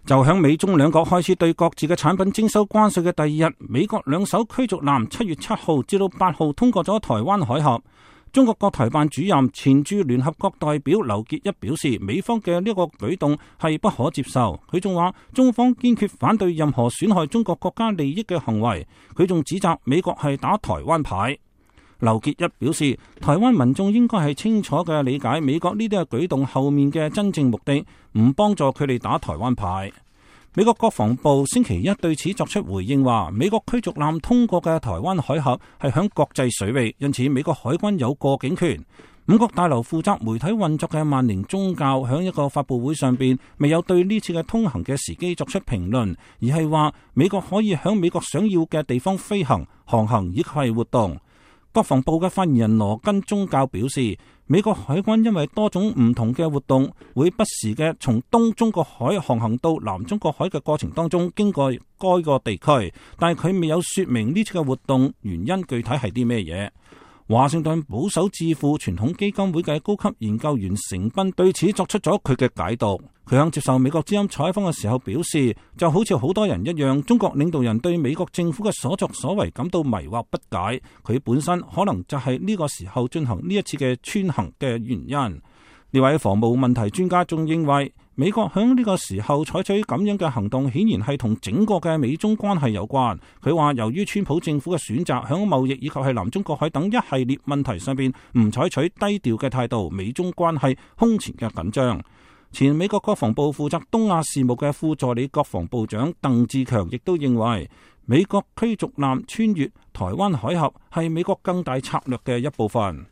就響美中兩國開始對各自嘅產品徵收關稅嘅第二日，美國兩艘驅逐艦7月7號至到8號通過咗台灣海峽。中國國台辦主任、前駐聯合國代表劉結一表示，美方嘅呢個舉動係不可接受。佢仲話，中方堅決反對任何損害中國國家利益嘅行為。佢仲指責美國係打台灣牌。劉結一表示，台灣民眾應該係清楚嘅理解美國呢啲嘅舉動後面嘅真正目的，唔幫助佢哋打台灣牌。美國國防部星期一對此作出回應，話美國驅逐艦通過嘅台灣海峽係響國際水域，因此美國海軍有過境權。五角大樓負責媒體運作嘅萬寧宗教響一個發佈會上邊，未有對呢次嘅通行嘅時機作出評論，而係話美國可以響美國想要嘅地方飛行、航行以及係活動。國防部嘅發言人羅根宗教表示，美國海軍因為多種唔同嘅活動，會不時嘅從東中國海航行到南中國海嘅過程當中經過該個地區，但係佢未有說明呢次嘅活動原因具體係啲咩嘢。華盛頓保守智庫傳統基金會嘅高級研究員成斌對此作出咗佢嘅解讀。佢響接受美國之音採訪嘅時候表示，就好似好多人一樣，中國領導人對美國政府嘅所作所為感到迷惑不解，佢本身可能就係呢個時候進行呢一次嘅穿行嘅原因。呢位防務問題專家仲認為，美國響呢個時候採取咁樣嘅行動，顯然係同整個嘅美中關係有關。佢話由於川普政府嘅選擇響貿易以及係南中國海等一系列問題上邊唔採取低調嘅態度，美中關係空前嘅緊張。前美國國防部負責東亞事務嘅副助理國防部長鄧志強亦都認為，美國驅逐艦穿越台灣海峽係美國更大策略嘅一部分。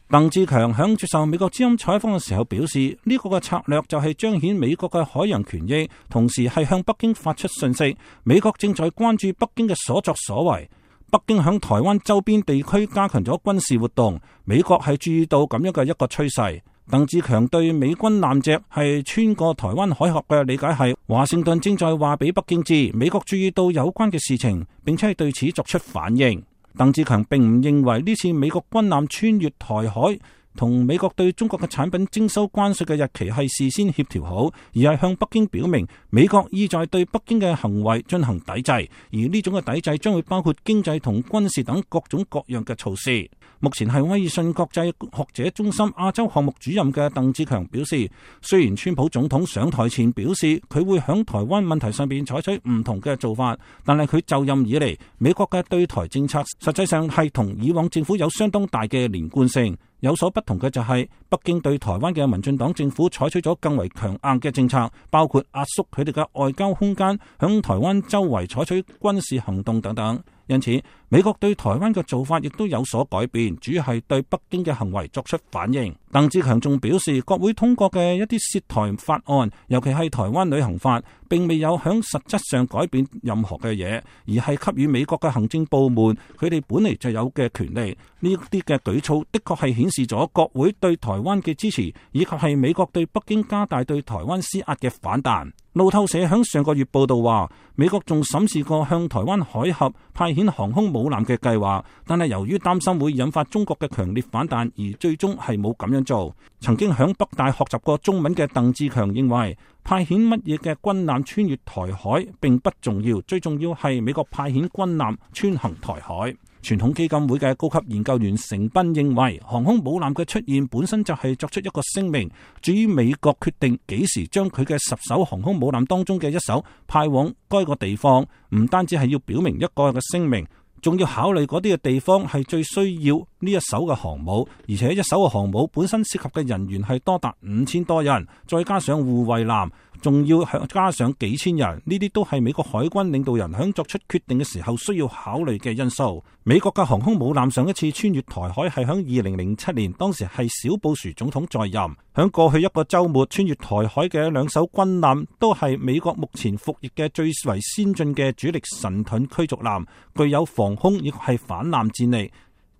鄧志強響接受美國之音採訪嘅時候表示，呢個嘅策略就係彰顯美國嘅海洋權益，同時係向北京發出訊息，美國正在關注北京嘅所作所為。北京響台灣周邊地區加強咗軍事活動，美國係注意到咁樣嘅一個趨勢。鄧志強對美軍艦隻係穿過台灣海峽嘅理解係，華盛頓正在話俾北京知，美國注意到有關嘅事情，並且係對此作出反應。鄧志強並唔認為呢次美國軍艦穿越台海同美國對中國嘅產品徵收關稅嘅日期係事先協調好，而係向北京表明美國意在對北京嘅行為進行抵制，而呢種嘅抵制將會包括經濟同軍事等各種各樣嘅措施。目前係威爾遜國際學者中心亞洲項目主任嘅鄧志強表示，雖然川普總統上台前表示佢會響台灣問題上邊採取唔同嘅做法，但係佢就任以嚟，美國嘅對台政策實際上係同以往政府有相當大嘅連貫性。有所不同嘅就係北京對台灣嘅民進黨政府採取咗更為強硬嘅政策，包括壓縮佢哋嘅外交空間，響台灣周圍採取軍事行動等等。因此，美國對台灣嘅做法亦都有所改變，主要係對北京嘅行為作出反應。鄧志強仲表示，國會通過嘅一啲涉台法案，尤其係台灣旅行法，並未有響實質上改變任何嘅嘢，而係給予美國嘅行政部門佢哋本嚟就有嘅權利。呢啲嘅舉措的確係顯示咗國會對台灣嘅支持，以及係美國對北京加大對台灣施壓嘅反彈。路透社響上個月報道話，美國仲審視過向台灣海峽派遣航空母艦嘅計劃，但係由於擔心會引發中國嘅強烈反彈，而最終係冇咁樣做。曾經響北大學習過中文嘅鄧志強認為，派遣乜嘢嘅軍艦穿越台海並不重要，最重要係美國派遣軍艦穿行台海。傳統基金會嘅高級研究員成斌認為，航空母艦嘅出現本身就係作出一個聲明。至於美國決定幾時將佢嘅10艘航空母艦當中嘅一艘派往該個地方，唔單止係要表明一個嘅聲明，仲要考慮嗰啲嘅地方係最需要呢一艘嘅航母，而且一艘嘅航母本身涉及嘅人員係多達5000多人，再加上護衛艦，仲要加上幾千人，呢啲都係美國海軍領導人響作出決定嘅時候需要考慮嘅因素。美國嘅航空母艦上一次穿越台海係響2007年，當時係小布殊總統在任。響過去一個週末穿越台海嘅2艘軍艦都係美國目前服役嘅最為先進嘅主力神盾驅逐艦，具有防空亦係反艦戰力。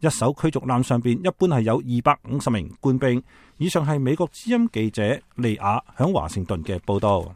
一艘驅逐艦上邊一般係有250名官兵。以上係美國之音記者利亞響華盛頓嘅報道。